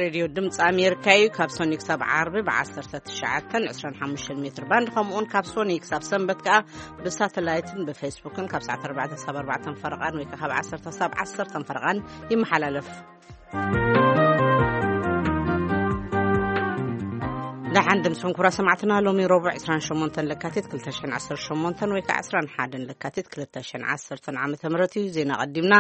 ሬድዮ ድምፂ ኣሜሪካ እዩ። ካብ ሶኒ ክሳብ ዓርቢ ብ19፣ 25 ሜትር ባንድ፣ ከምኡውን ካብ ሶኒ ክሳብ ሰንበት ከዓ ብሳተላይትን ብፌስቡክን ካብ ሰዓት 4 ክሳብ 4 ፈረቓን ወይ ከዓ ካብ 10 ክሳብ 10 ፈረቓን ይመሓላለፍ። ደሓን ድምፅኹም ክቡራት ሰማዕትና። ሎሚ ረቡዕ 28 ለካቲት 2018 ወይ ከዓ 21 ለካቲት 2010 ዓመተ ምህረት እዩ። ዜና ቀዲምና።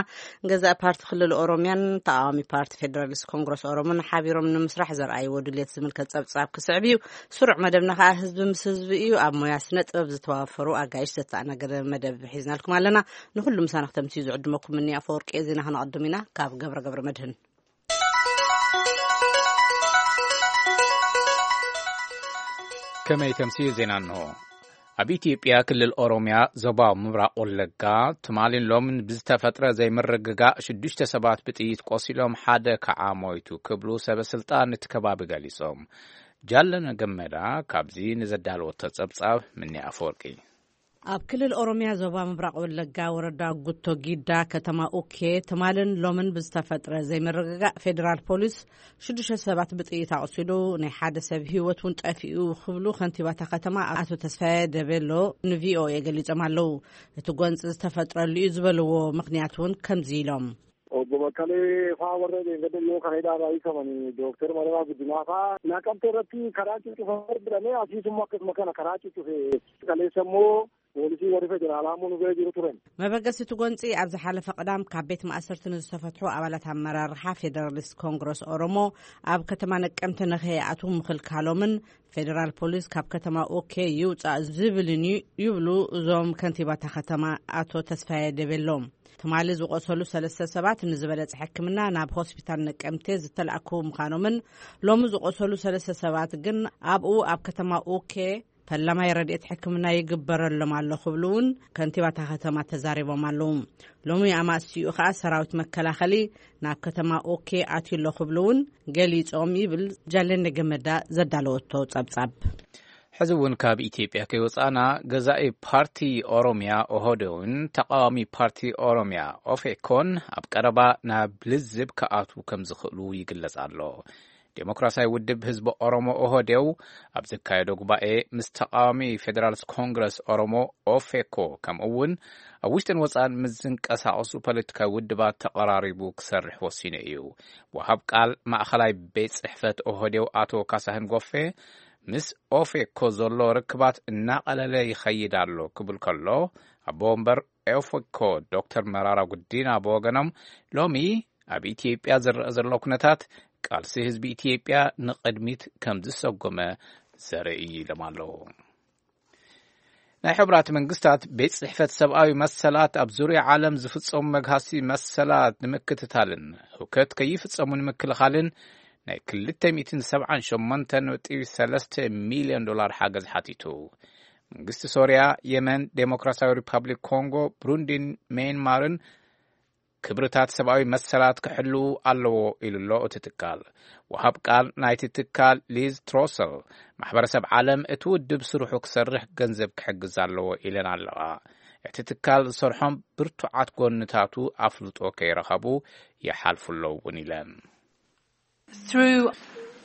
ገዛኢ ፓርቲ ክልል ኦሮሚያን ተቃዋሚ ፓርቲ ፌደራሊስት ኮንግረስ ኦሮሞን ሓቢሮም ንምስራሕ ዘርኣይዎ ድልየት ዝምልከት ጸብጻብ ክስዕብ እዩ። ስሩዕ መደብና ከኣ ህዝቢ ምስ ህዝቢ እዩ። ኣብ ሞያ ስነ ጥበብ ዝተዋፈሩ ኣጋይሽ ዘተኣናገደ መደብ ሒዝናልኩም ኣለና። ንኹሉ ምሳና ክተምስዩ ዝዕድመኩም ምንያ ኣፈወርቂ። ዜና ክነቐድም ኢና ካብ ገብረ ገብረ መድህን። ከመይ ተምስዩ ዜና እንሆ። ኣብ ኢትዮጵያ ክልል ኦሮሚያ ዞባ ምብራቕ ወለጋ ትማሊን ሎምን ብዝተፈጥረ ዘይምርግጋእ ሽዱሽተ ሰባት ብጥይት ቆሲሎም ሓደ ከዓ ሞይቱ ክብሉ ሰበ ስልጣን እቲ ከባቢ ገሊጾም። ጃለነ ገመዳ ካብዚ ንዘዳለወቶ ጸብጻብ ምኒ ኣፈወርቂ። ኣብ ክልል ኦሮሚያ ዞባ ምብራቕ ወለጋ ወረዳ ጉቶ ጊዳ ከተማ ኡኬ ትማልን ሎምን ብዝተፈጥረ ዘይምርግጋእ ፌዴራል ፖሊስ ሽዱሽተ ሰባት ብጥይት ኣቑሲሉ ናይ ሓደ ሰብ ህይወት እውን ጠፊኡ ክብሉ ከንቲባታ ከተማ ኣቶ ተስፋዬ ደቤሎ ንቪኦኤ ገሊጾም ኣለዉ። እቲ ጎንፂ ዝተፈጥረሉ እዩ ዝበልዎ ምኽንያት እውን ከምዚ ኢሎም። Obbo Baqqalee faa warra dheengadda dhiyoo kana hidhaarraa hiikaman Dooktar Mararaa Guddinaa faa Naqamtee irratti karaa cuccufamee jedhamee asiisummoo akkasuma kana karaa cuccufe qaleessa immoo poolisii warri federaalaa immoo nu bira jiru turan. መበገሲ እቲ ጎንፂ ኣብ ዝሓለፈ ቅዳም ካብ ቤት ማእሰርቲ ንዝተፈትሑ ኣባላት ኣመራርሓ ፌደራሊስት ኮንግረስ ኦሮሞ ኣብ ከተማ ነቀምተ ንኸይኣትዉ ምኽልካሎምን ፌደራል ፖሊስ ካብ ከተማ ኦኬ ይውፃእ ዝብልን እዩ ይብሉ እዞም ከንቲባታ ከተማ ኣቶ ተስፋዬ ደቤሎም። ትማሊ ዝቆሰሉ ሰለስተ ሰባት ንዝበለፀ ሕክምና ናብ ሆስፒታል ነቀምቴ ዝተላእኩ ምዃኖምን ሎሚ ዝቆሰሉ ሰለስተ ሰባት ግን ኣብኡ ኣብ ከተማ ኦኬ ፈላማይ ረድኤት ሕክምና ይግበረሎም ኣሎ ክብሉ እውን ከንቲባታ ከተማ ተዛሪቦም ኣለዉ። ሎሚ ኣማስይኡ ከዓ ሰራዊት መከላኸሊ ናብ ከተማ ኦኬ ኣትዩ ኣሎ ክብሉ እውን ገሊጾም ይብል ጃለነ ገመዳ ዘዳለወቶ ጸብጻብ። ሕዚ እውን ካብ ኢትዮጵያ ከይወፃእና፣ ገዛኢ ፓርቲ ኦሮሚያ ኦህዴድን ተቃዋሚ ፓርቲ ኦሮሚያ ኦፌኮን ኣብ ቀረባ ናብ ልዝብ ክኣትዉ ከም ዝኽእሉ ይግለጽ ኣሎ። ዴሞክራሲያዊ ውድብ ህዝቢ ኦሮሞ ኦህዴድ ኣብ ዘካየዶ ጉባኤ ምስ ተቃዋሚ ፌዴራልስ ኮንግረስ ኦሮሞ ኦፌኮ ከምኡ እውን ኣብ ውሽጥን ወፃን ምስ ዝንቀሳቐሱ ፖለቲካዊ ውድባት ተቐራሪቡ ክሰርሕ ወሲኑ እዩ። ወሃብ ቃል ማእኸላይ ቤት ጽሕፈት ኦህዴድ ኣቶ ካሳህን ጎፌ ምስ ኦፌኮ ዘሎ ርክባት እናቐለለ ይኸይድ ኣሎ ክብል ከሎ፣ ኣቦ ወንበር ኦፌኮ ዶክተር መራራ ጉዲና ብወገኖም ሎሚ ኣብ ኢትዮጵያ ዝረኣ ዘሎ ኩነታት ቃልሲ ህዝቢ ኢትዮጵያ ንቕድሚት ከም ዝሰጎመ ዘርኢ እዩ ኢሎም ኣለዉ። ናይ ሕቡራት መንግስታት ቤት ጽሕፈት ሰብኣዊ መሰላት ኣብ ዙርያ ዓለም ዝፍጸሙ መግሃሲ መሰላት ንምክትታልን ህውከት ከይፍጸሙ ንምክልኻልን ናይ 278.3 ሚልዮን ዶላር ሓገዝ ሓቲቱ። መንግስቲ ሶርያ፣ የመን፣ ዴሞክራሲያዊ ሪፓብሊክ ኮንጎ፣ ብሩንዲን ሜንማርን ክብርታት ሰብኣዊ መሰላት ክሕልዉ ኣለዎ ኢሉ ኣሎ እቲ ትካል። ወሃብ ቃል ናይቲ ትካል ሊዝ ትሮሰል፣ ማሕበረሰብ ዓለም እቲ ውድብ ስርሑ ክሰርሕ ገንዘብ ክሕግዝ ኣለዎ ኢለን ኣለዋ። እቲ ትካል ዝሰርሖም ብርቱዓት ጎንታቱ ኣፍልጦ ከይረኸቡ ይሓልፉ ኣለዉ እውን ኢለን። Through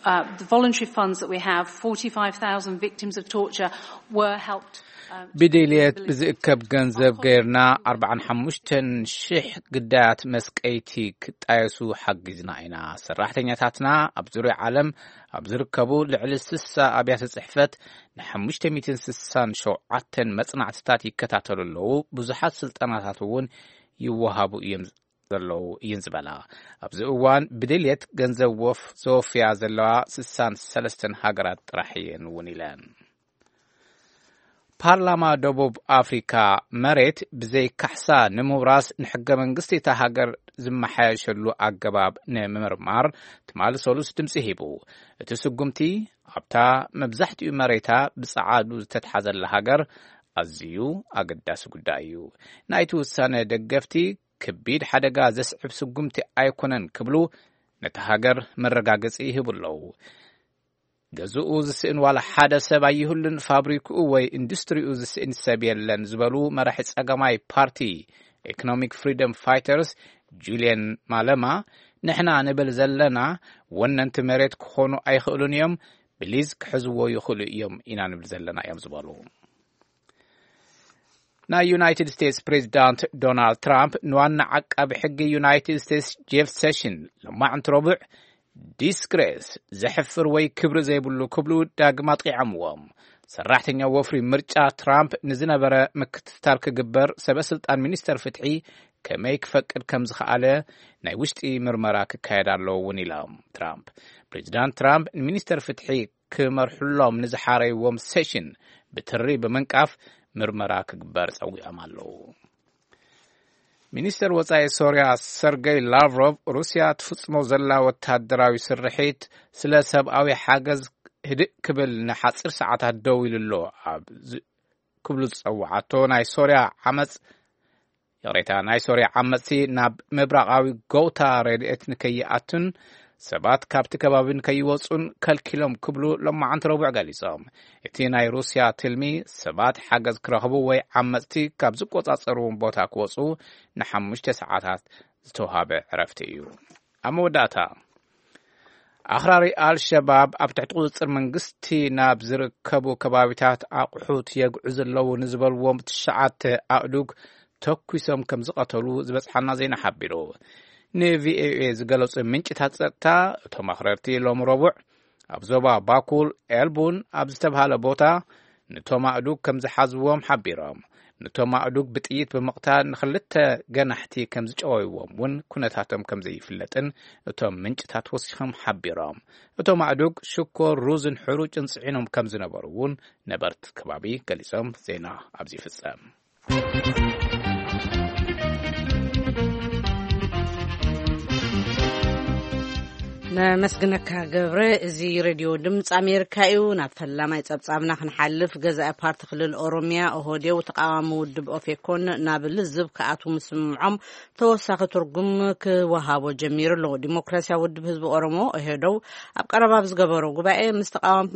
uh, the voluntary funds that we have, forty-five thousand victims of torture were helped. Um, ብድልየት ብዝእከብ ገንዘብ ገይርና 45,000 ግዳያት መስቀይቲ ክጣየሱ ሓጊዝና ኢና። ሰራሕተኛታትና ኣብ ዙርያ ዓለም ኣብ ዝርከቡ ልዕሊ 60 ኣብያተ ጽሕፈት ን567 መጽናዕትታት ይከታተሉ ኣለዉ። ብዙሓት ስልጠናታት እውን ይወሃቡ እዮም ዘለዉ እየን ዝበላ። ኣብዚ እዋን ብድልየት ገንዘብ ወፍ ዘወፍያ ዘለዋ 63 ሃገራት ጥራሕ እየን እውን ኢለን። ፓርላማ ደቡብ ኣፍሪካ መሬት ብዘይ ካሕሳ ንምውራስ ንሕገ መንግስቲ እታ ሃገር ዝመሓየሸሉ ኣገባብ ንምምርማር ትማሊ ሰሉስ ድምፂ ሂቡ። እቲ ስጉምቲ ኣብታ መብዛሕትኡ መሬታ ብፀዓዱ ዝተትሓዘላ ሃገር ኣዝዩ ኣገዳሲ ጉዳይ እዩ። ናይቲ ውሳነ ደገፍቲ ከቢድ ሓደጋ ዘስዕብ ስጉምቲ ኣይኮነን ክብሉ ነታ ሃገር መረጋገፂ ይህቡ ኣለዉ። ገዝኡ ዝስእን ዋላ ሓደ ሰብ ኣይህሉን፣ ፋብሪክኡ ወይ ኢንዱስትሪኡ ዝስእን ሰብ የለን ዝበሉ መራሒ ጸገማይ ፓርቲ ኢኮኖሚክ ፍሪደም ፋይተርስ ጁልየን ማለማ ንሕና ንብል ዘለና፣ ወነንቲ መሬት ክኾኑ ኣይኽእሉን እዮም፣ ብሊዝ ክሕዝዎ ይኽእሉ እዮም ኢና ንብል ዘለና እዮም ዝበሉ። ናይ ዩናይትድ ስቴትስ ፕሬዚዳንት ዶናልድ ትራምፕ ንዋና ዓቃቢ ሕጊ ዩናይትድ ስቴትስ ጄፍ ሴሽን ሎማዕንቲ ረቡዕ ዲስግሬስ፣ ዘሕፍር ወይ ክብሪ ዘይብሉ ክብሉ ዳግም ኣጥቂዖምዎም። ሰራሕተኛ ወፍሪ ምርጫ ትራምፕ ንዝነበረ ምክትታል ክግበር ሰበ ስልጣን ሚኒስተር ፍትሒ ከመይ ክፈቅድ ከም ዝኸኣለ ናይ ውሽጢ ምርመራ ክካየድ ኣለዎ እውን ኢሎም። ትራምፕ ፕሬዚዳንት ትራምፕ ንሚኒስተር ፍትሒ ክመርሕሎም ንዝሓረይዎም ሴሽን ብትሪ ብምንቃፍ ምርመራ ክግበር ጸዊዖም ኣለዉ። ሚኒስተር ወጻኢ ሶርያ ሰርገይ ላቭሮቭ፣ ሩስያ ትፍጽሞ ዘላ ወታደራዊ ስርሒት ስለ ሰብኣዊ ሓገዝ ህድእ ክብል ንሓጺር ሰዓታት ደው ኢሉ ኣሎ ኣብ ዝ- ክብሉ ዝጸውዓቶ ናይ ሶርያ ዓመጽ፣ ይቕሬታ፣ ናይ ሶርያ ዓመጽቲ ናብ ምብራቓዊ ጎውታ ረድኤት ንከይኣቱን ሰባት ካብቲ ከባቢ ንከይወጹን ከልኪሎም ክብሉ ሎማዓንቲ ረቡዕ ገሊጾም። እቲ ናይ ሩስያ ትልሚ ሰባት ሓገዝ ክረኽቡ ወይ ዓመጽቲ ካብ ዝቆጻጸርዎም ቦታ ክወጹ ንሓሙሽተ ሰዓታት ዝተውሃበ ዕረፍቲ እዩ። ኣብ መወዳእታ፣ ኣኽራሪ ኣልሸባብ ኣብ ትሕቲ ቁጽጽር መንግስቲ ናብ ዝርከቡ ከባቢታት ኣቑሑት የግዑ ዘለዉ ንዝበልዎም ትሽዓተ ኣእዱግ ተኩሶም ከም ዝቐተሉ ዝበጽሓና ዜና ሓቢሩ። ንቪኦኤ ዝገለጹ ምንጭታት ጸጥታ፣ እቶም ኣኽረርቲ ሎሚ ረቡዕ ኣብ ዞባ ባኩል ኤልቡን ኣብ ዝተብሃለ ቦታ ነቶም ኣእዱግ ከም ዝሓዝዎም ሓቢሮም። ነቶም ኣእዱግ ብጥይት ብምቕታል ንኽልተ ገናሕቲ ከም ዝጨወይዎም እውን ኩነታቶም ከም ዘይፍለጥን እቶም ምንጭታት ወሲኾም ሓቢሮም። እቶም ኣእዱግ ሽኮር፣ ሩዝን ሕሩጭን ጽዒኖም ከም ዝነበሩ እውን ነበርቲ ከባቢ ገሊጾም። ዜና ኣብዚ ይፍጸም። ነመስግነካ ገብረ። እዚ ሬድዮ ድምፂ ኣሜሪካ እዩ። ናብ ፈላማይ ጸብጻብና ክንሓልፍ፣ ገዛኢ ፓርቲ ክልል ኦሮሚያ ኦህዴው ተቃዋሚ ውድብ ኦፌኮን ናብ ልዝብ ክኣትዉ ምስምዖም ተወሳኺ ትርጉም ክወሃቦ ጀሚሩ ኣሎ። ዲሞክራሲያዊ ውድብ ህዝቢ ኦሮሞ ኦህዴው ኣብ ቀረባ ኣብ ዝገበሮ ጉባኤ ምስ ተቃዋሚ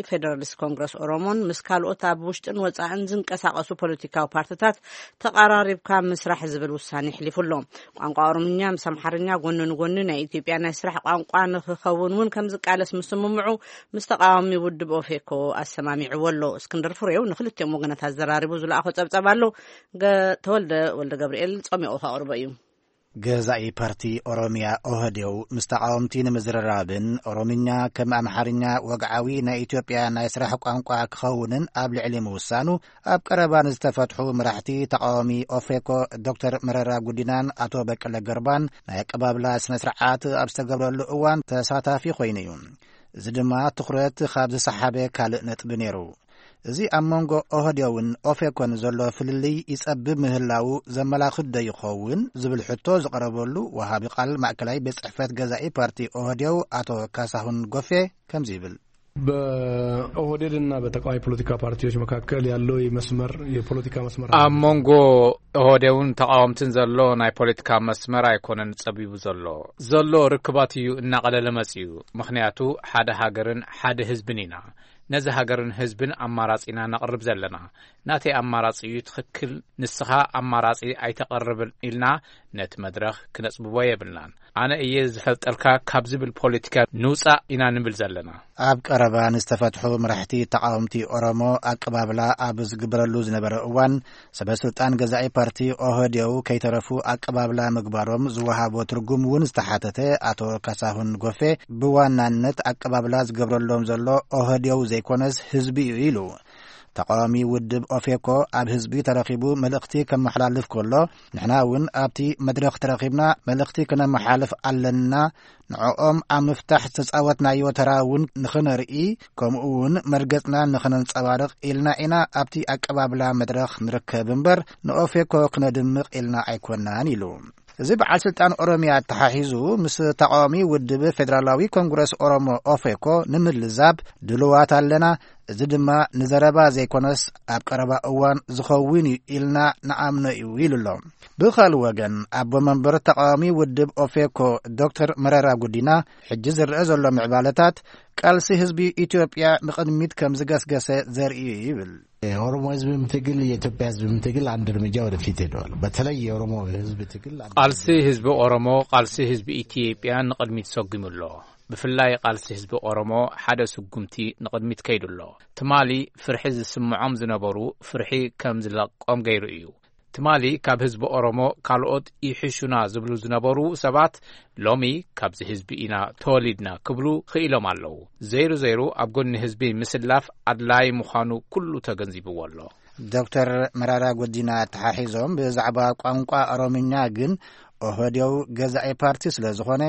ፌደራሊስት ኮንግረስ ኦሮሞን ምስ ካልኦት ኣብ ውሽጥን ወጻእን ዝንቀሳቀሱ ፖለቲካዊ ፓርትታት ተቐራሪብካ ምስራሕ ዝብል ውሳኔ ኣሕሊፉ ኣሎ። ቋንቋ ኦሮምኛ ምስ ኣምሓርኛ ጎኒ ንጎኒ ናይ ኢትዮጵያ ናይ ስራሕ ቋንቋ ንክኸውን እውን ከም ዝቃለስ ምስምምዑ ምስ ተቃዋሚ ውድብ ኦፌኮ ኣሰማሚዕዎ ኣሎ። እስክንድር ፍሬው ንክልቲኦም ወገናት ኣዘራሪቡ ዝለኣኾ ጸብጻብ ኣሎ። ገ-፣ ተወልደ ወልደ ገብርኤል ጸሚቑ ከቕርቦ እዩ። ገዛኢ ፓርቲ ኦሮሚያ ኦህዴው ምስ ተቃወምቲ ንምዝርራብን ኦሮምኛ ከም ኣምሓርኛ ወግዓዊ ናይ ኢትዮጵያ ናይ ስራሕ ቋንቋ ክኸውንን ኣብ ልዕሊ ምውሳኑ፣ ኣብ ቀረባ ንዝተፈትሑ መራሕቲ ተቃዋሚ ኦፌኮ ዶክተር መረራ ጉዲናን ኣቶ በቀለ ገርባን ናይ ኣቀባብላ ስነ ስርዓት ኣብ ዝተገብረሉ እዋን ተሳታፊ ኮይኑ እዩ። እዚ ድማ ትኹረት ካብ ዝሰሓበ ካልእ ነጥቢ ነይሩ። እዚ ኣብ መንጎ ኦህዴውን ኦፌኮን ዘሎ ፍልልይ ይጸብብ ምህላዉ ዘመላኽት ዶ ይኸውን ዝብል ሕቶ ዝቐረበሉ ወሃቢ ቃል ማእከላይ ቤት ጽሕፈት ገዛኢ ፓርቲ ኦህዴው ኣቶ ካሳሁን ጎፌ ከምዚ ይብል። በኦህዴድና በተቃዋሚ ፖለቲካ ፓርቲዎች መካከል ያለው የመስመር፣ የፖለቲካ መስመር ኣብ መንጎ ኦህዴውን ተቃወምትን ዘሎ ናይ ፖለቲካ መስመር ኣይኮነን ጸቢቡ ዘሎ። ዘሎ ርክባት እዩ እናቐለለ መጺኡ። ምኽንያቱ ሓደ ሃገርን ሓደ ህዝብን ኢና። ነዚ ሃገርን ህዝብን ኣማራጺ ኢና ነቕርብ ዘለና። ናተይ ኣማራጺ እዩ ትኽክል፣ ንስኻ ኣማራጺ ኣይተቐርብን ኢልና ነቲ መድረኽ ክነጽብቦ የብልናን። ኣነ እየ ዝፈልጠልካ ካብ ዝብል ፖለቲካ ንውጻእ ኢና ንብል ዘለና። ኣብ ቀረባ ንዝተፈትሑ መራሕቲ ተቃወምቲ ኦሮሞ ኣቀባብላ ኣብ ዝግበረሉ ዝነበረ እዋን፣ ሰበ ስልጣን ገዛኢ ፓርቲ ኦህዴው ከይተረፉ ኣቀባብላ ምግባሮም ዝወሃቦ ትርጉም እውን ዝተሓተተ ኣቶ ካሳሁን ጎፌ፣ ብዋናነት ኣቀባብላ ዝገብረሎም ዘሎ ኦህዴው ዘይኮነስ ህዝቢ እዩ ኢሉ። ተቃዋሚ ውድብ ኦፌኮ ኣብ ህዝቢ ተረኺቡ መልእኽቲ ከመሓላልፍ ከሎ፣ ንሕና እውን ኣብቲ መድረኽ ተረኺብና መልእኽቲ ክነመሓላልፍ ኣለና። ንዕኦም ኣብ ምፍታሕ ዝተጻወትናዮ ተራ እውን ንኽነርኢ፣ ከምኡ እውን መርገጽና ንኽነንጸባርቕ ኢልና ኢና ኣብቲ ኣቀባብላ መድረኽ ንርከብ እምበር፣ ንኦፌኮ ክነድምቕ ኢልና ኣይኮናን ኢሉ። እዚ በዓል ስልጣን ኦሮሚያ ኣተሓሒዙ ምስ ተቃዋሚ ውድብ ፌደራላዊ ኮንግረስ ኦሮሞ ኦፌኮ ንምልዛብ ድሉዋት ኣለና፣ እዚ ድማ ንዘረባ ዘይኮነስ ኣብ ቀረባ እዋን ዝኸውን እዩ ኢልና ንኣምኖ እዩ ኢሉ ኣሎ። ብኻልእ ወገን ኣቦ መንበር ተቃዋሚ ውድብ ኦፌኮ ዶክተር መረራ ጉዲና፣ ሕጂ ዝረአ ዘሎ ምዕባለታት ቃልሲ ህዝቢ ኢትዮጵያ ንቕድሚት ከም ዝገስገሰ ዘርኢ እዩ ይብል። የኦሮሞ ህዝብም ትግል የኢትዮጵያ ህዝብም ትግል አንድ እርምጃ ወደፊት ሄደዋል። በተለይ የኦሮሞ ህዝብ ትግል አንድ ቃልሲ ህዝቢ ኦሮሞ ቃልሲ ህዝቢ ኢትዮጵያ ንቕድሚት ሰጉሙ ኣሎ። ብፍላይ ቃልሲ ህዝቢ ኦሮሞ ሓደ ስጉምቲ ንቕድሚት ከይዱ ኣሎ። ትማሊ ፍርሒ ዝስምዖም ዝነበሩ ፍርሒ ከም ዝለቆም ገይሩ እዩ። ትማሊ ካብ ህዝቢ ኦሮሞ ካልኦት ይሕሹና ዝብሉ ዝነበሩ ሰባት ሎሚ ካብዚ ህዝቢ ኢና ተወሊድና ክብሉ ክኢሎም ኣለዉ። ዘይሩ ዘይሩ ኣብ ጎኒ ህዝቢ ምስላፍ ኣድላይ ምዃኑ ኩሉ ተገንዚብዎ ኣሎ። ዶክተር መራራ ጉዲና ኣተሓሒዞም ብዛዕባ ቋንቋ ኦሮምኛ ግን ኦህዴው ገዛኢ ፓርቲ ስለ ዝኾነ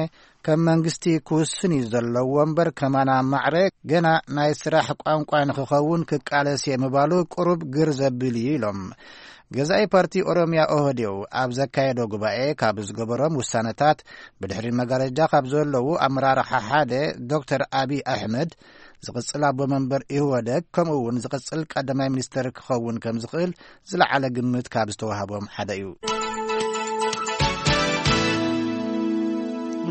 ከም መንግስቲ ክውስን እዩ ዘለዎ እምበር ከማና ማዕረ ገና ናይ ስራሕ ቋንቋ ንክኸውን ክቃለስ እየ ምባሉ ቁሩብ ግር ዘብል እዩ ኢሎም። ገዛኢ ፓርቲ ኦሮምያ ኦህዴው ኣብ ዘካየዶ ጉባኤ ካብ ዝገበሮም ውሳነታት ብድሕሪ መጋረጃ ካብ ዘለዉ ኣመራርሓ ሓደ ዶክተር ኣብይ ኣሕመድ ዝቕጽል ኣቦ መንበር ኢህወደግ ከምኡ እውን ዝቕጽል ቀዳማይ ሚኒስተር ክኸውን ከም ዝኽእል ዝለዓለ ግምት ካብ ዝተዋህቦም ሓደ እዩ።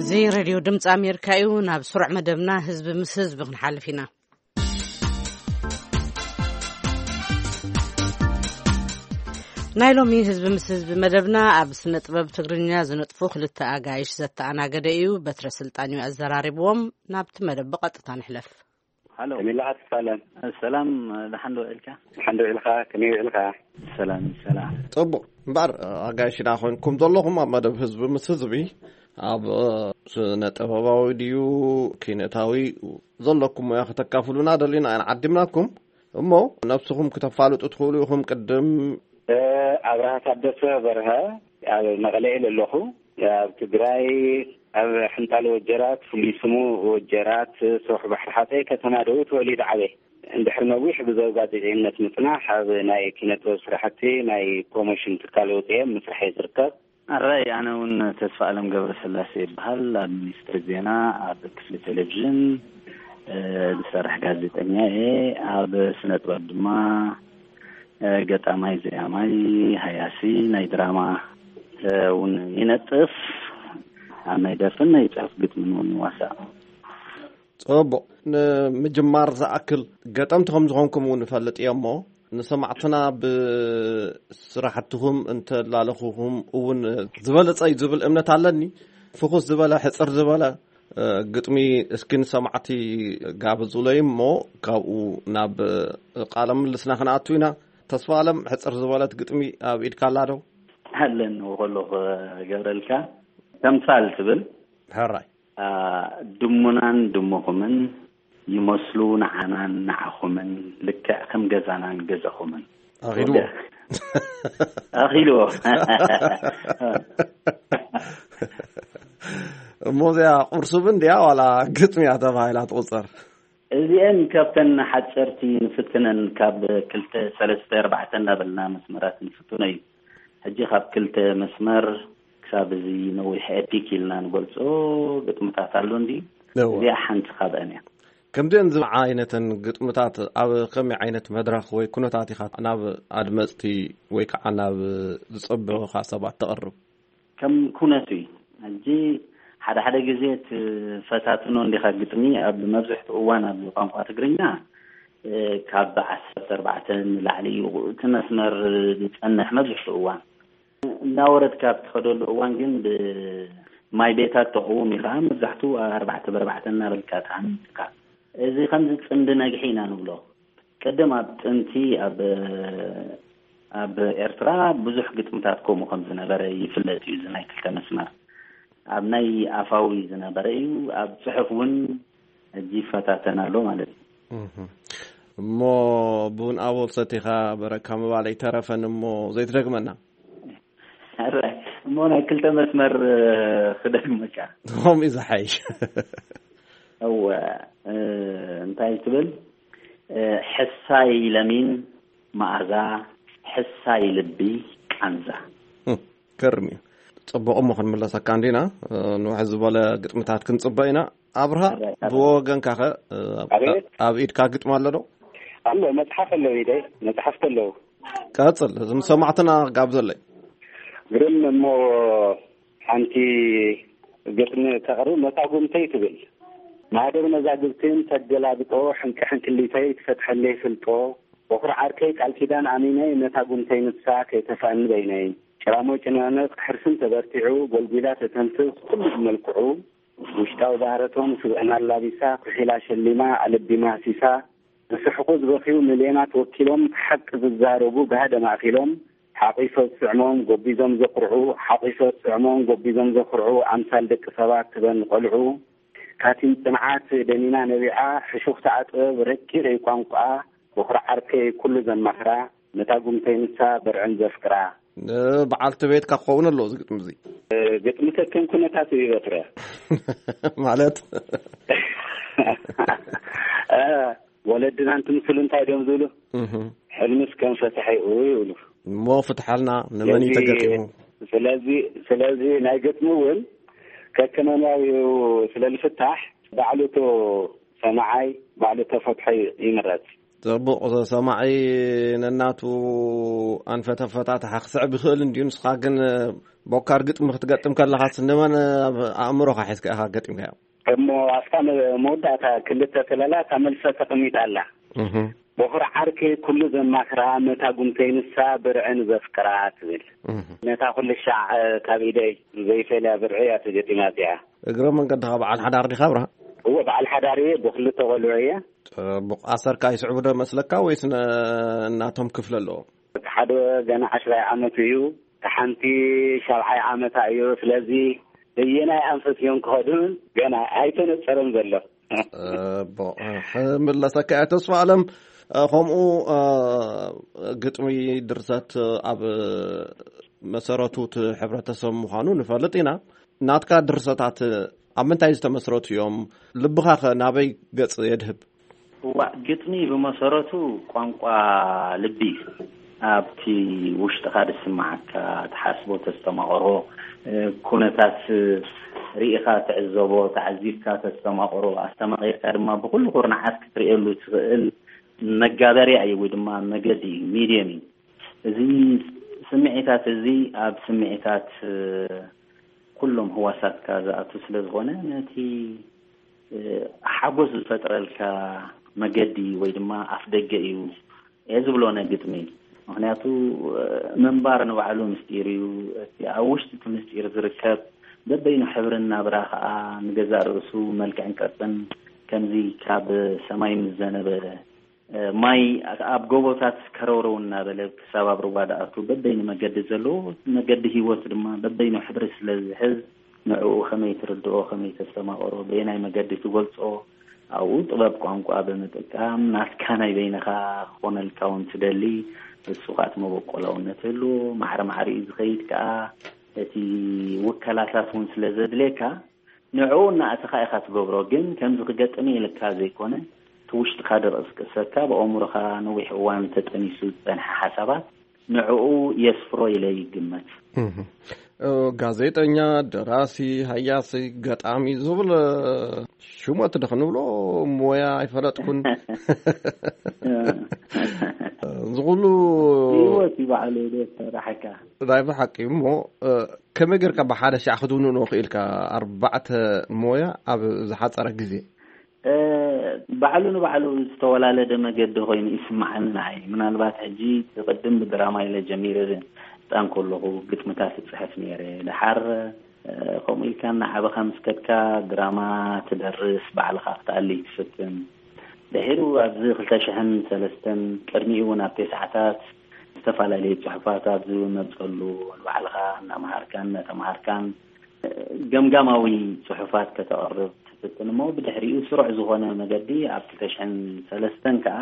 እዚ ሬድዮ ድምፂ ኣሜሪካ እዩ። ናብ ስሩዕ መደብና ህዝቢ ምስ ህዝቢ ክንሓልፍ ኢና። ናይ ሎሚ ህዝቢ ምስ ህዝቢ መደብና ኣብ ስነ ጥበብ ትግርኛ ዝነጥፉ ክልተ ኣጋይሽ ዘተኣናገደ እዩ። በትረ ስልጣን እዩ ኣዘራሪብዎም። ናብቲ መደብ ብቐጥታ ንሕለፍ። ሃሎ። ከመይ ኣለኻ ተስፋለም? ሰላም፣ ደሓን ዶ ውዒልካ? ደሓን ዶ ውዒልካ? ከመይ ውዒልካ? ሰላም፣ ሰላም። ጽቡቕ። እምበኣር፣ ኣጋይሽና ኮይንኩም ዘለኹም ኣብ መደብ ህዝቢ ምስ ህዝቢ፣ ኣብ፣ እ፣ ስነ ጥበባዊ ድዩ ኪነታዊ ዘለኩም ሞያ ከተካፍሉና ደሊና ኢና ዓዲምናኩም። እሞ ነብስኹም ክተፋልጡ ትኽእሉ ኢኹም። ቅድም እ፣ ኣብርሃ ታደሰ በርሀ፣ ኣብ መቐለ እየ ዘለኹ። ኣብ ትግራይ፣ ኣብ ሕንጣሎ ወጀራት፣ ፍሉይ ስሙ ወጀራት፣ ሰውሒ ባሕሪ ሓፀይ ከተማ ደው ተወሊደ ዓብየ። እንድሕሪ ነዊሕ ብዘው ጋዜጠኝነት ምፅናሕ፣ ኣብ ናይ ኪነ ጥበብ ስራሕቲ ናይ ፕሮሞሽን ትካል ወፅየ ምስራሕ እየ ዝርከብ። ኣራይ፣ ኣነ እውን ተስፋ ኣለም ገብረስላሴ ይበሃል። ኣብ ሚኒስትሪ ዜና ኣብ ክፍሊ ቴሌቪዥን፣ እ፣ ዝሰርሕ ጋዜጠኛ እየ። ኣብ ስነ ጥበብ ድማ፣ እ፣ ገጣማይ፣ ዘያማይ፣ ሃያሲ፣ ናይ ድራማ፣ እ፣ እውን ይነጥፍ። ኣብ ናይ ደርፍን ናይ ጽሑፍ ግጥምን እውን ይዋሳእ። ጽቡቕ። ንምጅማር ዝኣክል ገጠምቲ ከም ዝኾንኩም እውን እፈልጥ እየ እሞ፣ ንሰማዕትና ብስራሕትኹም እንተላለኹኹም እውን ዝበለጸ እዩ ዝብል እምነት ኣለኒ። ፍኹስ ዝበለ፣ ሕጽር ዝበለ፣ እ፣ ግጥሚ እስኪ ንሰማዕቲ ጋብዙለይ እሞ፣ ካብኡ ናብ ቃለ ምልልስና ክንኣቱ ኢና። ተስፋ ኣለም፣ ሕጽር ዝበለት ግጥሚ ኣብ ኢድካ ኣላ ዶ? ኣለኒ ከለኹ ገብረልካ፣ ተምሳል ትብል። ሕራይ። ኣ፣ ድሙናን ድሙኹምን ይመስሉ ንዓናን ንዓኹምን፣ ልክዕ ከም ገዛናን ገዛኹምን። ኣኺልዎ። ወደ-፣ ኣኺልዎ። እሞ እዚኣ ቁርሱብ እንድያ ዋላ ግጥሚ እያ ተባሂላ ትቑጸር? እዚአን ካብተን ሓፀርቲ ንፍትነን፣ ካብ ክልተ፣ ሰለስተ፣ ኣርባዕተ እንዳበልና መስመራት ንፍትኖ እዩ። ሕጂ ካብ ክልተ መስመር ክሳብ እዚ ነዊሕ ኤፒክ ኢልና ንገልጾ ግጥምታት ኣሎ እንዲ፣ እወ። እዚኣ ሓንቲ ካብአን እያ። ከምዚአን ዝብዓ ዓይነተን ግጥምታት ኣብ ከመይ ዓይነት መድረኽ ወይ ኩነታት ኢኻ ናብ ኣድመጽቲ ወይ ከዓ ናብ ዝጸብዑኻ ሰባት ተቕርብ? ከም ኩነቱ እዩ። ሕጂ ሓደ ሓደ ግዜ ትፈታትኖ እንዲኻ ግጥሚ፣ ኣብ መብዝሕትኡ እዋን ኣብ ቋንቋ ትግርኛ፣ እ፣ ካብ ዓሰርተ ኣርባዕተ ንላዕሊ እዩ እቲ መስመር ዝጸንሕ መብዝሕትኡ እዋን። እናወረድካ ኣብ ትኸደሉ እዋን ግን ብማይ ቤታት ተቕውም ኢኻ፣ መብዛሕትኡ ኣርባዕተ ብኣርባዕተ እናበልካ ትሃንጽካ። እዚ ከምዚ ጽምዲ ነግሒ ኢና ንብሎ። ቅድም ኣብ ጥንቲ ኣብ፣ ኣብ ኤርትራ ብዙሕ ግጥምታት ከምኡ ከም ዝነበረ ይፍለጥ እዩ። እዚ ናይ ክልተ መስመር ኣብ ናይ ኣፋዊ ዝነበረ እዩ። ኣብ ጽሑፍ እውን ሕጂ ይፈታተን ኣሎ ማለት እዩ። እህ። እሞ ቡን ኣቦል ሰቲኻ በረካ ምባል ኣይተረፈን እሞ ዘይትደግመና። ኧረ፣ እሞ ናይ ክልተ መስመር፣ እ፣ ክደግመካ። ከምኡ እዩ ዝሓይሽ። እወ፣ እ፣ እንታይ ትብል? እ፣ ሕሳይ ለሚን መኣዛ፣ ሕሳይ ልቢ ቃንዛ። ህም፣ ገርም እዩ። ጽቡቕ እሞ ክንምለሰካ እንዲና፣ እ፣ ንውሕ ዝበለ ግጥምታት ክንጽበ ኢና። ኣብርሃ፣ ኣረ፣ ኣረ። ብወገንካ ኸ፣ እ፣ ኣብ፣ ኣቤት። ኣብ ኢድካ ግጥሚ ኣሎ ዶ? ኣሎ፣ መጽሓፍ ኣሎ ኢደይ፣ መጽሓፍቲ ኣለዉ። ቀጽል፣ እዞም ሰማዕትና ክጋብዘለይ። ግርም እሞ ሓንቲ ግጥሚ ተቕርብ፣ መታጉምተይ ትብል። ማህደር መዛግብትን ተገላብጦ፣ ሕንቂ ሕንክሊተይ ትፈትሐለይ ፍልጦ። በኹር ዓርከይ ቃል ኪዳን ኣሚነይ፣ መታጉምተይ ንሳ ከይተፍኣኒ በይነይ። ጭራሞ ጭናነቕ ሕርስን ተበርቲዑ፣ ጎልጒላ ተተንፍስ ኩሉ ብመልክዑ። ውሽጣዊ ባህረቶም ስብዕና ኣላቢሳ፣ ኩሒላ ሸሊማ፣ ኣለቢማ ሃሲሳ። ዝስሕቑ ዝበኽዩ ሚልዮናት ወኪሎም፣ ሓቂ ዝዛረቡ ብሃደ ማእኪሎም። ሓቒፈ ዝስዕሞም ጎቢዞም ዘኹርዑ፣ ሓቒፈ ዝስዕሞም ጎቢዞም ዘኹርዑ፣ ኣምሳል ደቂ ሰባት ትበን ቆልዑ። ካቲም ጽንዓት ደኒና ነቢዓ፣ ሕሹኽታ ጥበብ ረቂቕ እዩ ቋንቋኣ። በኹሪ ዓርከይ ኩሉ ዘማኽራ፣ መታጉምተይ ንሳ በርዕን ዘፍቅራ። ንበዓልቲ ቤትካ ክኸውን ኣለዎ እዚ ግጥሚ እዚ። ግጥሚ ከከም ኩነታቱ እዩ በትረ። ማለት? እ፣ ወለድና እንትምስሉ እንታይ ድዮም ዝብሉ? እህ። ሕልምስ ከም ፈትሒ እዩ ይብሉ። እሞ ፍትሓልና፣ ንመን እዩ ስለዚ ተገጢሙ? ስለዚ፣ ስለዚ ናይ ግጥሚ እውን ከከመንባቢኡ ስለ ዝፍታሕ፣ ባዕሉ እቶ ሰማዓይ፣ ባዕሉ እቶ ፈትሖ ይምረጽ። ጽቡቕ፣ ሰማዒ ነናቱ ኣንፈተፈታትሓ ክስዕብ ይኽእል እንድዩ። ንስኻ ግን ቦካር ግጥሚ ክትገጥም ከለኻስ ንመን ኣብ ኣእምሮኻ ሒዝካ ኢኻ ገጢምካዮ? እሞ ኣብታ መ-፣ መወዳእታ ክልተ ተለላ እታ መልሰ ተቐሚጣ ኣላ። እህ። በኹሪ ዓርከይ ኩሉ ዘማኽራ፣ መታጉምተይ ንሳ ብርዕን ዘፍቅራ ትብል። እህ። ነታ ኩሉ ሻዕ ካብ ኢደይ ዘይፈልያ ብርዒ እያ ተገጢማ እዚኣ። እግረ መንገድኻ በዓል ሓዳር ዲኻ ብርሃን? እወ፣ በዓል ሓዳር እየ፣ ብክልተ ቆልዑ እየ። ጽቡቕ። ኣሰርካ ይስዕቡ ዶ መስለካ ወይስ ነ-፣ እናቶም ክፍለ ኣለዎም? እቲ ሓደ ገና ዓሽራይ ዓመቱ እዩ፣ እቲ ሓንቲ ሻብዓይ ዓመታ እዩ። ስለዚ በየናይ ኣንፈት እዮም ክኸዱ ገና ኣይተነጸረን ዘሎ። ጽቡቕ። ክምለሰካ እየ ተስፋ ኣለም። ከምኡ ግጥሚ ድርሰት ኣብ መሰረቱ እቲ ሕብረተሰብ ምዃኑ ንፈልጥ ኢና። ናትካ ድርሰታት ኣብ ምንታይ ዝተመስረቱ እዮም? ልብኻኸ ናበይ ገጽ የድህብ? እዋእ፣ ግጥሚ ብመሰረቱ ቋንቋ ልቢ እዩ። ኣብቲ ውሽጥኻ ዝስምዓካ፣ ትሓስቦ፣ ተስተማቕሮ፣ እ፣ ኩነታት ርኢኻ ትዕዘቦ፣ ተዓዚብካ ተስተማቕሮ፣ ኣስተማቒርካ ድማ ብኹሉ ኩርናዓት ክትርእየሉ ትኽእል መጋበርያ እዩ ወይ ድማ መገዲ እዩ፣ ሚድየም እዩ። እዚ ስምዒታት እዚ ኣብ ስምዒታት፣ እ፣ ኩሎም ህዋሳትካ ዝኣቱ ስለ ዝኾነ፣ ነቲ፣ እ፣ ሓጎስ ዝፈጥረልካ መገዲ ወይ ድማ ኣፍ ደገ እዩ እየ ዝብሎ ነግጥሚ። ምኽንያቱ፣ እ፣ ምንባር ንባዕሉ ምስጢር እዩ። እቲ ኣብ ውሽጢ እቲ ምስጢር ዝርከብ በበይኑ ሕብርን ናብራ ኸኣ ንገዛእ ርእሱ መልክዕን ቅርጽን ከምዚ ካብ ሰማይ ምስ ዘነበ ማይ ኣብ ጎቦታት ከረውረው እናበለ ክሳብ ኣብ ሩባ ደኣቱ በበይኑ መገዲ ዘለዎ መገዲ ህይወት ድማ በበይኑ ሕብሪ ስለ ዝሕዝ ንዕኡ ከመይ ትርድኦ፣ ከመይ ተስተማቕሮ፣ በየናይ መገዲ ትገልጾ፣ ኣብኡ ጥበብ ቋንቋ ብምጥቃም ናትካ ናይ በይንኻ ክኾነልካ እውን ትደሊ። እሱ ኻኣ እቲ መበቆላውነት ህልዎ ማዕረ ማዕሪኡ ዝኸይድ ከኣ እቲ ውከላታት እውን ስለ ዘድልየካ ንዕኡ እናእተኻ ኢኻ ትገብሮ፣ ግን ከምዚ ክገጥም ኢልካ ዘይኮነ፣ እቲ ውሽጥኻ ድቕስቅሰካ፣ ብኣእምሮኻ ነዊሕ እዋን ተጠኒሱ ዝጸንሐ ሓሳባት ንዕኡ የስፍሮ ኢለ ይግመት። እህ። እ፣ ጋዜጠኛ፣ ደራሲ፣ ሃያሲ፣ ገጣሚ ዝብል፣ እ፣ ሽሞት ዶ ክንብሎ ሞያ ኣይፈለጥኩን። እዚ ኩሉ ህይወት እዩ ባዕሉ ዶ ተራሕካ? ናይ ብሓቂ እሞ፣ እ፣ ከመይ ጌርካ ብሓደ ሻዕ ክትውንኖ ክኢልካ ኣርባዕተ ሞያ ኣብ ዝሓጸረ ግዜ? እ፣ ባዕሉ ንባዕሉ ዝተወላለደ መገዲ ኮይኑ ይስምዓኒ ንዓይ። ምናልባት ሕጂ ቅድም ብድራማ ኢለ ጀሚረ ህጻን ከለኹ ግጥምታት እጽሕፍ ነይረ። ደሓር፣ እ፣ ከምኡ ኢልካ እናዓበኻ ምስ ከድካ ድራማ ትደርስ፣ ባዕልኻ ክትኣሊ ትፍትን። ድሒሩ ኣብዚ ክልተ ሽሕን ሰለስተን ቅድሚኡ እውን ኣብ ተስዓታት ዝተፈላለዩ ጽሑፋት ኣብ ዝመጸሉ ንባዕልኻ እናመሃርካን እናተመሃርካን ገምጋማዊ ጽሑፋት ከተቕርብ ትፍትን እሞ ብድሕሪኡ ስሩዕ ዝኾነ መገዲ ኣብ ክልተ ሽሕን ሰለስተን ከኣ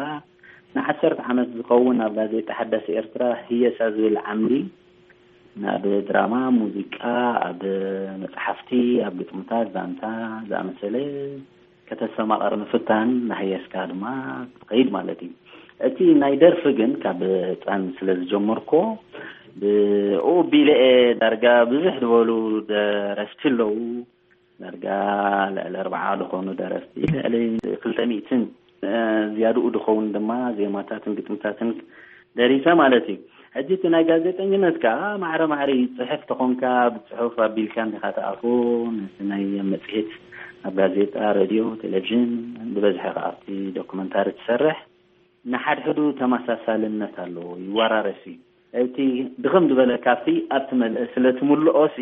ንዓሰርተ ዓመት ዝኸውን ኣብ ጋዜጣ ሓዳስ ኤርትራ ህየሳ ዝብል ዓምዲ ናብ ድራማ፣ ሙዚቃ፣ ኣብ መጽሓፍቲ፣ ኣብ ግጥምታት፣ ዛንታ ዝኣመሰለ ከተስተማቕር ምፍታን፣ እናሃየስካ ድማ ክትኸይድ ማለት እዩ። እቲ ናይ ደርፊ ግን ካብ ህጻን ስለ ዝጀመርኮ፣ ብኡ ቢለ እየ ዳርጋ ብዙሕ ዝበሉ ደረፍቲ ኣለዉ። ዳርጋ ልዕሊ ኣርብዓ ዝኾኑ ደረፍቲ፣ ልዕሊ ክልተ ሚእትን ዝያድኡ ድኸውን ድማ ዜማታትን ግጥምታትን ደሪሰ ማለት እዩ። ሕጂ እቲ ናይ ጋዜጠኝነት ከዓ ማዕረ ማዕረ እዩ። ጽሕፍ ተኾንካ ብጽሑፍ ኣቢልካ እንዲኻ ትኣፉ። ነቲ ናይ መጽሔት ኣብ ጋዜጣ፣ ሬድዮ፣ ቴሌቪዥን፣ ብበዝሒ ከዓ ኣብቲ ዶክመንታሪ ትሰርሕ። ንሓድሕዱ ተመሳሳልነት ኣለዎ፣ ይወራረስ እዩ። እቲ ድኽም ዝበለ ካብቲ ኣብቲ መልእ ስለ ትምልኦ ሲ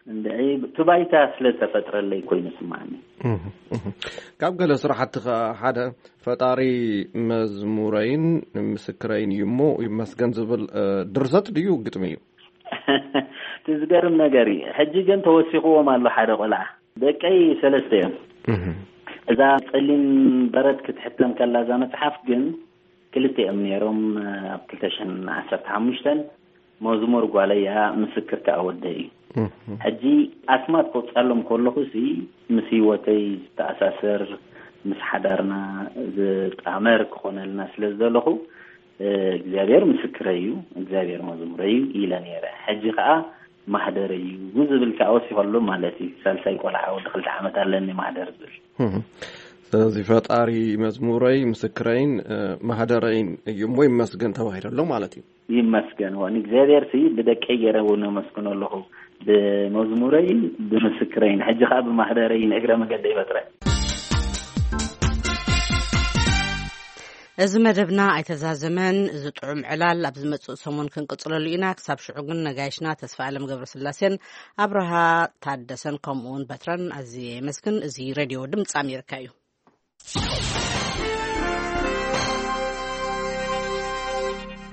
እንድዒ እቲ ባይታ ስለ ዝተፈጥረለይ ኮይኑ ስምዓኒ። ካብ ገለ ስራሕቲ ሓደ ፈጣሪ መዝሙረይን ምስክረይን እዩ እሞ ይመስገን ዝብል ድርሰት ድዩ ግጥሚ እዩ? እቲ ዝገርም ነገር እዩ። ሕጂ ግን ተወሲኽዎም ኣሎ ሓደ ቆልዓ። ደቀይ ሰለስተ እዮም። እዛ ጸሊም በረድ ክትሕተም ከላ እዛ መጽሓፍ ግን ክልተ እዮም ነይሮም። ኣብ ክልተ ሽሕን ዓሰርተ ሓሙሽተን መዝሙር ጓለይ እያ፣ ምስክር ከኣ ወደይ እዩ። ሕጂ ኣስማት ከውጻሎም ከለኹ ሲ ምስ ህይወተይ ዝተኣሳሰር፣ ምስ ሓዳርና ዝጣመር ክኾነልና ስለ ዝደለኹ እግዚኣብሔር ምስክረይ እዩ፣ እግዚኣብሔር መዝሙረይ እዩ ኢለ ነይረ። ሕጂ ከኣ ማህደረይ እዩ ዝብል ከኣ ወሲኸሉ ማለት እዩ። ሳልሳይ ቆልዓ ወዲ ክልተ ዓመት ኣለኒ ማህደር ዝብል። ስለዚ ፈጣሪ መዝሙረይ ምስክረይን ማህደረይን እዩ እሞ ይመስገን ተባሂለሎ ማለት እዩ። ይመስገን ዋ ንእግዚኣብሔር ሲ ብደቀይ ገይረ እውን ኣመስግኖ ኣለኹ፣ ብመዝሙረይን ብምስክረይን። ሕጂ ከኣ ብማህደረይን እግረ መገደ ይበጥረ። እዚ መደብና ኣይተዛዘመን። እዚ ጥዑም ዕላል ኣብ ዝመጽእ ሰሙን ክንቅጽለሉ ኢና። ክሳብ ሽዑ ግን ነጋይሽና ተስፋ ኣለም ገብረስላሴን ኣብርሃ ታደሰን ከምኡውን በትረን ኣዝየ የመስግን። እዚ ሬድዮ ድምፂ ኣሜሪካ እዩ።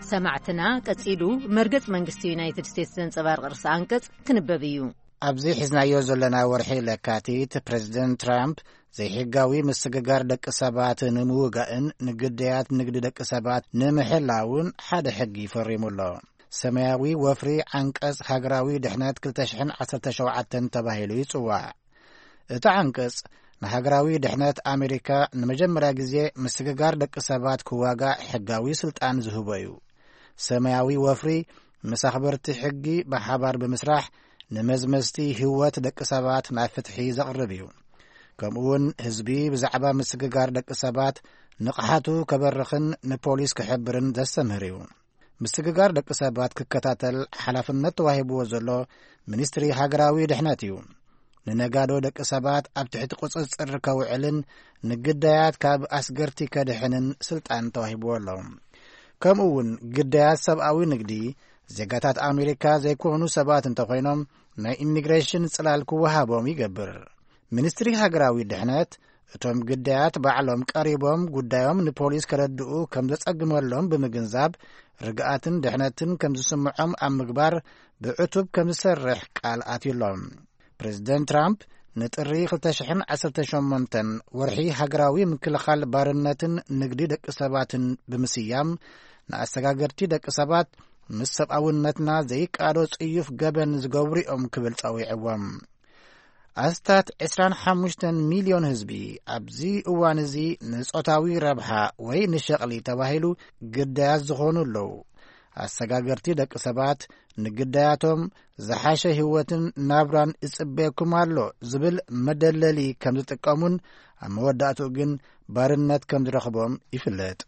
ሰማዕትና ቀጺሉ መርገጽ መንግስቲ ዩናይትድ ስቴትስ ዘንጸባርቕ ርእሰ ኣንቀጽ ክንበብ እዩ። ኣብዚ ሒዝናዮ ዘለና ወርሒ ለካቲት ፕሬዚደንት ትራምፕ ዘይሕጋዊ ምስግጋር ደቂ ሰባት ንምውጋእን ንግዳያት ንግዲ ደቂ ሰባት ንምሕላውን ሓደ ሕጊ ፈሪሙ ኣሎ። ሰማያዊ ወፍሪ ዓንቀጽ ሃገራዊ ድሕነት ክልተ ሽሕን ዓሰርተ ሸውዓተን ተባሂሉ ይጽዋዕ። እቲ ዓንቀጽ ንሃገራዊ ድሕነት ኣሜሪካ ንመጀመርያ ግዜ ምስግጋር ደቂ ሰባት ክዋጋእ ሕጋዊ ስልጣን ዝህቦ እዩ። ሰማያዊ ወፍሪ ምስ ኣኽበርቲ ሕጊ ብሓባር ብምስራሕ ንመዝመዝቲ ህይወት ደቂ ሰባት ናብ ፍትሒ ዘቕርብ እዩ። ከምኡውን ህዝቢ ብዛዕባ ምስግጋር ደቂ ሰባት ንቕሓቱ ከበርኽን ንፖሊስ ክሕብርን ዘስተምህር እዩ። ምስግጋር ደቂ ሰባት ክከታተል ሓላፍነት ተዋሂብዎ ዘሎ ሚኒስትሪ ሃገራዊ ድሕነት እዩ። ንነጋዶ ደቂ ሰባት ኣብ ትሕቲ ቁጽጽር ከውዕልን ንግዳያት ካብ ኣስገርቲ ከድሕንን ስልጣን ተዋሂብዎ ኣሎ። ከምኡ እውን ግዳያት ሰብኣዊ ንግዲ ዜጋታት ኣሜሪካ ዘይኮኑ ሰባት እንተኾይኖም ናይ ኢሚግሬሽን ጽላል ክወሃቦም ይገብር። ሚኒስትሪ ሃገራዊ ድሕነት እቶም ግዳያት ባዕሎም ቀሪቦም ጉዳዮም ንፖሊስ ከረድኡ ከም ዘጸግመሎም ብምግንዛብ ርግኣትን ድሕነትን ከም ዝስምዖም ኣብ ምግባር ብዕቱብ ከም ዝሰርሕ ቃል ኣትዩሎም። ፕሬዚደንት ትራምፕ ንጥሪ ክልተ ሽሕን ዓሰርተ ሸሞንተን ወርሒ ሃገራዊ ምክልኻል ባርነትን ንግዲ ደቂ ሰባትን ብምስያም ንኣሰጋገርቲ ደቂ ሰባት ምስ ሰብኣውነትና ዘይቃዶ ጽዩፍ ገበን ዝገብሩ እዮም ክብል ጸዊዕዎም። ኣስታት ዕስራን ሓሙሽተን ሚልዮን ህዝቢ ኣብዚ እዋን እዚ ንጾታዊ ረብሓ ወይ ንሸቕሊ ተባሂሉ ግዳያት ዝኾኑ ኣለዉ። ኣሰጋገርቲ ደቂ ሰባት ንግዳያቶም ዝሓሸ ህይወትን ናብራን ይጽበየኩም ኣሎ ዝብል መደለሊ ከም ዝጥቀሙን ኣብ መወዳእትኡ ግን ባርነት ከም ዝረኽቦም ይፍለጥ።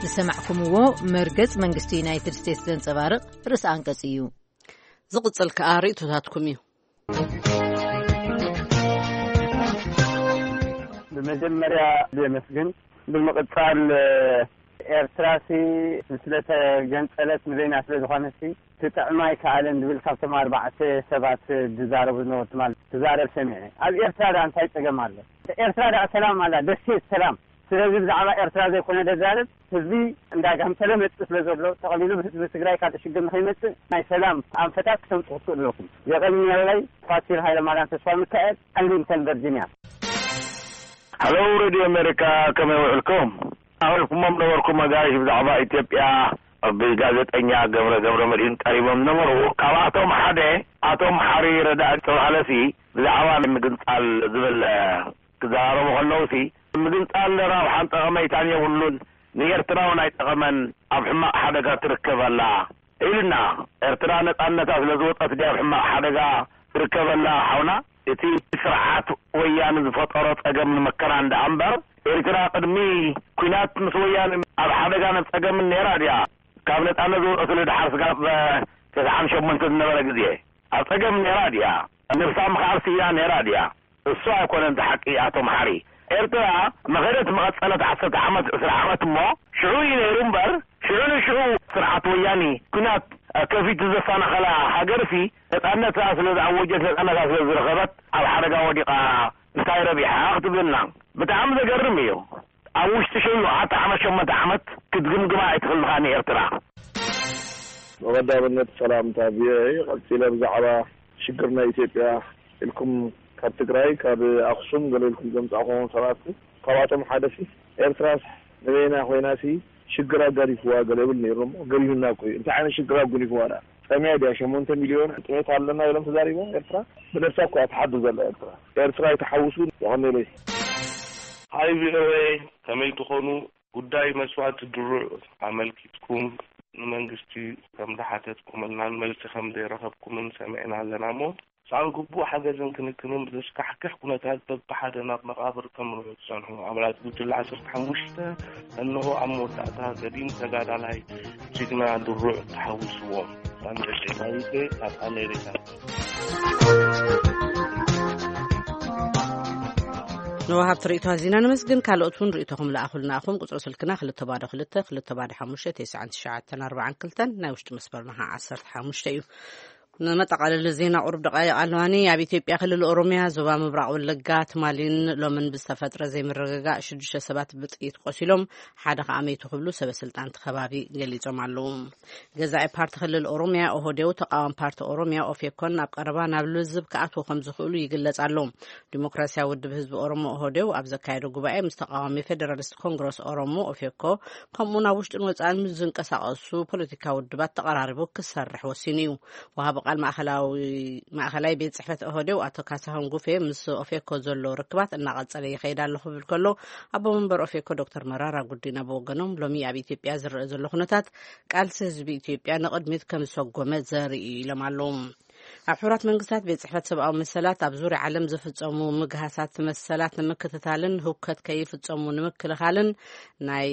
ዝሰማዕኩምዎ መርገጽ መንግስቲ ዩናይትድ ስቴትስ ዘንጸባርቕ ርእሲ ኣንቀጽ እዩ። ዝቕጽል ከኣ ርእይቶታትኩም እዩ። ብመጀመርያ የመስግን። ብምቕጻል ኤርትራሲ ስለተገንጸለት ንበይና ስለ ዝኾነሲ ክጥዕማ ኣይከኣለን ዝብል ካብቶም ኣርባዕተ ሰባት ዝዛረቡ ዝነበሩ ትማል ትዛረብ ሰሚዐ። ኣብ ኤርትራ ደኣ እንታይ ጸገም ኣሎ? ኤርትራ ደኣ ሰላም ኣላ፣ ደሴት ሰላም። ስለዚ ብዛዕባ ኤርትራ ዘይኮነ ደዛረብ ህዝቢ እንዳጋምተለ መጽእ ስለ ዘሎ ጠቕሊሉ ብህዝቢ ትግራይ ካልእ ሽግር ንኸይመጽእ ናይ ሰላም ኣንፈታት ክተምጽኡ ትኽእሉ ኣለኩም። የቐንየለይ። ፋሲል ሃይለማርያም ተስፋ ሚካኤል፣ ኣርሊንግተን ቨርጂንያ። ሃሎ ሬድዮ ኣሜሪካ፣ ከመይ ውዕልኩም? ኣቕሪብኩሞም ነበርኩም ኣጋይሽ ብዛዕባ ኢትዮጵያ ብጋዜጠኛ ገብረ ገብረ መድህን ቀሪቦም ነበሩ። ካብኣቶም ሓደ ኣቶም ሓሪ ረዳእ ዝተባህለሲ ብዛዕባ ምግንጻል ዝብል ክዘራረቡ ከለውሲ ምግንጻል ረብሓን ጠቐመይታን የብሉን፣ ንኤርትራ እውን ኣይጠቐመን፣ ኣብ ሕማቕ ሓደጋ ትርከብ ኣላ ኢሉና። ኤርትራ ነጻነታ ስለ ዝወጸት ድያ ኣብ ሕማቕ ሓደጋ ትርከብ ኣላ ሓውና? እቲ ስርዓት ወያነ ዝፈጠሮ ጸገም ንመከራ እንዳ እምበር፣ ኤርትራ ቅድሚ ኲናት ምስ ወያነ ኣብ ሓደጋ ነጸገምን ነይራ ድያ? ካብ ነጻነት ዝወጸትሉ ድሓር ስጋብ ተስዓን ሸሞንተ ዝነበረ ግዜ ኣብ ጸገም ነይራ ድያ? ነብሳ ምኽኣል ስኢና ነይራ ድያ? እሱ ኣይኮነን እቲ ሓቂ ኣቶ መሓሪ። ኤርትራ መኸደት መቐጸለት ዓሰርተ ዓመት፣ ዕስራ ዓመት እሞ ሽዑ እዩ ነይሩ እምበር፣ ሽዑ ንሽዑ ስርዓት ወያኒ ኲናት ከፊቱ ዘሳናኸላ ሃገርሲ ነጻነታ ስለ ዝኣወጀት፣ ነጻነታ ስለ ዝረኸበት ኣብ ሓደጋ ወዲቓ እንታይ ረቢሓ ክትብልና ብጣዕሚ ዘገርም እዩ። ኣብ ውሽጢ ሸውዓተ ዓመት፣ ሸሞንተ ዓመት ክትግምግማ ኣይትኽእልኻ ንኤርትራ። ብቐዳምነት ሰላምታ ቪኦኤ። ቀጺለ ብዛዕባ ሽግር ናይ ኢትዮጵያ ኢልኩም ካብ ትግራይ፣ ካብ ኣኽሱም ገለ ኢልኩም ዘምጻእኹም ሰባት፣ ካብኣቶም ሓደሲ ኤርትራስ ንበይና ኮይናሲ ሽግር ኣጋዲፍዋ ገለ ይብል ነይሩ እሞ፣ ገዲፉና እኮ እዩ። እንታይ ዓይነት ሽግር ኣጉኒፍዋ ደኣ? ጸሚያ ድያ? ሸሞንተ ሚልዮን ጥሜት ኣለና ኢሎም ተዛሪቦም? ኤርትራ ብነብሳ እኮ እያ ትሓድር ዘላ። ኤርትራ፣ ኤርትራ ኣይትሓውሱ። የቐኔለይ። ሃይ ቪኦኤ፣ ከመይ ትኾኑ? ጉዳይ መስዋእቲ ድሩዕ ኣመልኪትኩም ንመንግስቲ ከም ዝሓተትኩምናን መልሲ ከም ዘይረኸብኩምን ሰሚዕና ኣለና እሞ፣ ሳን ግቡእ ሓገዝን ክንክንን ብዘስካሕክሕ ኩነታት በብሓደ ናብ መቓብር ከምርሑ ዝጸንሑ ኣባላት ጉጅለ ዓሰርተ ሓሙሽተ፣ እንሆ ኣብ መወዳእታ ገዲም ተጋዳላይ ጅግና ድሩዕ ተሓዊስዎም። ሳንደሽ ኤማዊቴ ካብ ኣሜሪካ። ንወሃብቲ ርእይቶ ኣዚና ነመስግን። ካልኦት እውን ርእይቶኹም ለኣኹልና ኢኹም። ቁጽሪ ስልክና ክልተ ባዶ ክልተ፣ ክልተ ባዶ ሓሙሽተ፣ ተስዓን ትሽዓተን ኣርባዓን ክልተን፣ ናይ ውሽጢ መስመርና ኸዓ ዓሰርተ ሓሙሽተ እዩ። ንመጠቓለሊ ዜና ቁሩብ ደቃይቕ ኣለዋኒ። ኣብ ኢትዮጵያ ክልል ኦሮሚያ ዞባ ምብራቕ ወለጋ ትማሊን ሎምን ብዝተፈጥረ ዘይምርግጋእ ሽዱሽተ ሰባት ብጥይት ቆሲሎም፣ ሓደ ኸዓ መይቱ ክብሉ ሰበ ስልጣን እቲ ከባቢ ገሊጾም ኣለዉ። ገዛኢ ፓርቲ ክልል ኦሮሚያ ኦህዴው፣ ተቃዋሚ ፓርቲ ኦሮሚያ ኦፌኮን ኣብ ቀረባ ናብ ልዝብ ክኣትዉ ከም ዝኽእሉ ይግለጽ ኣሎ። ዲሞክራሲያዊ ውድብ ህዝቢ ኦሮሞ ኦህዴው ኣብ ዘካየዶ ጉባኤ ምስ ተቃዋሚ ፌደራሊስት ኮንግረስ ኦሮሞ ኦፌኮ፣ ከምኡ ናብ ውሽጥን ወጻእን ምስ ዝንቀሳቐሱ ፖለቲካዊ ውድባት ተቐራሪቡ ክሰርሕ ወሲኑ እዩ። ወሃቢ ቃል ማእኸላዊ፣ ማእኸላይ ቤት ጽሕፈት ኦህዴው ኣቶ ካሳሁን ጉፌ ምስ ኦፌኮ ዘሎ ርክባት እናቐጸለ ይኸይድ ኣሎ ክብል ከሎ፣ ኣቦ መንበር ኦፌኮ ዶክተር መራራ ጉዲና ብወገኖም፣ ሎሚ ኣብ ኢትዮጵያ ዝረአ ዘሎ ኩነታት ቃልሲ ህዝቢ ኢትዮጵያ ንቕድሚት ከም ዝሰጎመ ዘርኢ እዩ ኢሎም ኣለዉ። ኣብ ሕቡራት መንግስታት ቤት ጽሕፈት ሰብኣዊ መሰላት ኣብ ዙርያ ዓለም ዝፍጸሙ ምግሃሳት መሰላት ንምክትታልን ህውከት ከይፍጸሙ ንምክልኻልን ናይ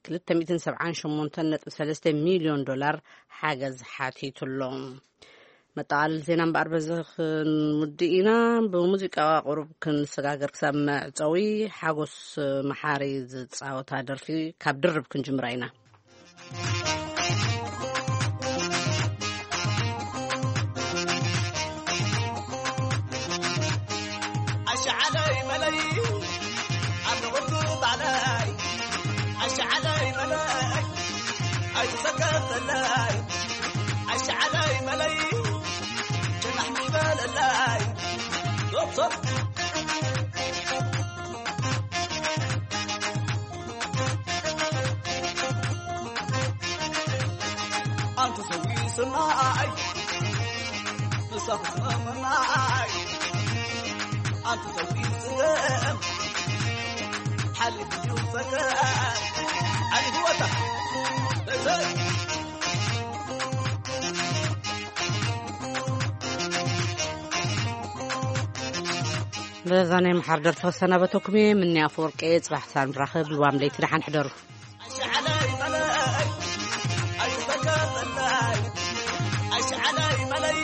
ክልተ ሚእትን ሰብዓን ሸሞንተን ነጥቢ ሰለስተ ሚልዮን ዶላር ሓገዝ ሓቲቱ ኣሎ። መጠቓለሊ ዜና እምበኣር በዚ ክንውድእ ኢና። ብሙዚቃ ቁሩብ ክንሰጋገር ክሳብ መዕጸዊ ሓጎስ መሓሪ ዝጻወታ ደርፊ ካብ ድርብ ክንጅምራ ኢና። ኣሽዓለይ መለይ፣ ኣብ ንቕቱ ባዕለይ። ኣሽዓለይ መለይ፣ ኣይትሰከተለይ። ኣሽዓለይ መለይ፣ ጭናሕ ምሕበለለይ። ዞብ፣ ዞብ። ኣንተ ሰዊ ስማይ፣ ንሳኹ ስማይ፣ ኣንተ ሰዊ ስገም፣ ሓሊፍ እዩ ፈተ፣ ዓሊ ህወታ፣ በዘይ። በዛ ናይ መሓር ደርፊ ክሰናበተኩም እየ። ምኒ ኣፈወርቂ፣ ጽባሕ ሳንራኸብ፣ ልዋም ለይቲ ደሓን ሕደሩ። ኣሽዓለይ መለይ፣ ኣይትበገሰለይ። ኣሽዓለይ መለይ፣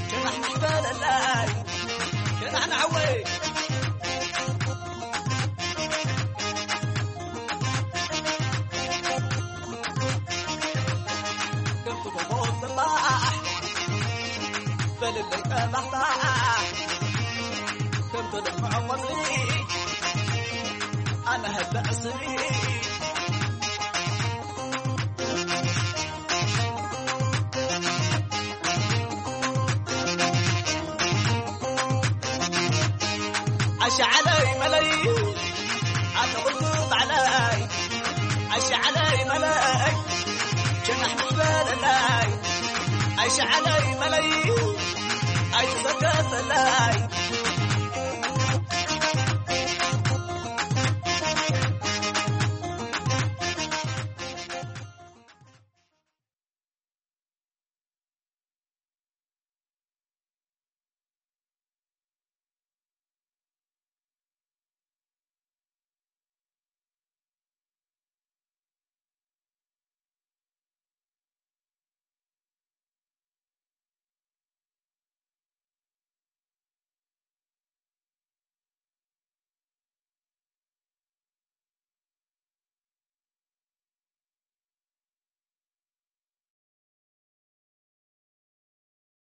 ጭናሕ ምሕበለለይ። ጭናሕ ንዓወይ። ከምቲ ጎቦ ጽባሕ፣ በልለይ ቀባሕባሕ። ከምቲ ልምዖ ቆጽሊ፣ ኣነ ህበ ዕስሊ። ኣሽዓለይ መለይ፣ ኣነ ቁልቁ ባዕለይ። ኣሽዓለይ መለይ፣ ጀናሕ ምሕበለለይ። ኣሽዓለይ መለይ፣ ኣይትሰከፈለይ።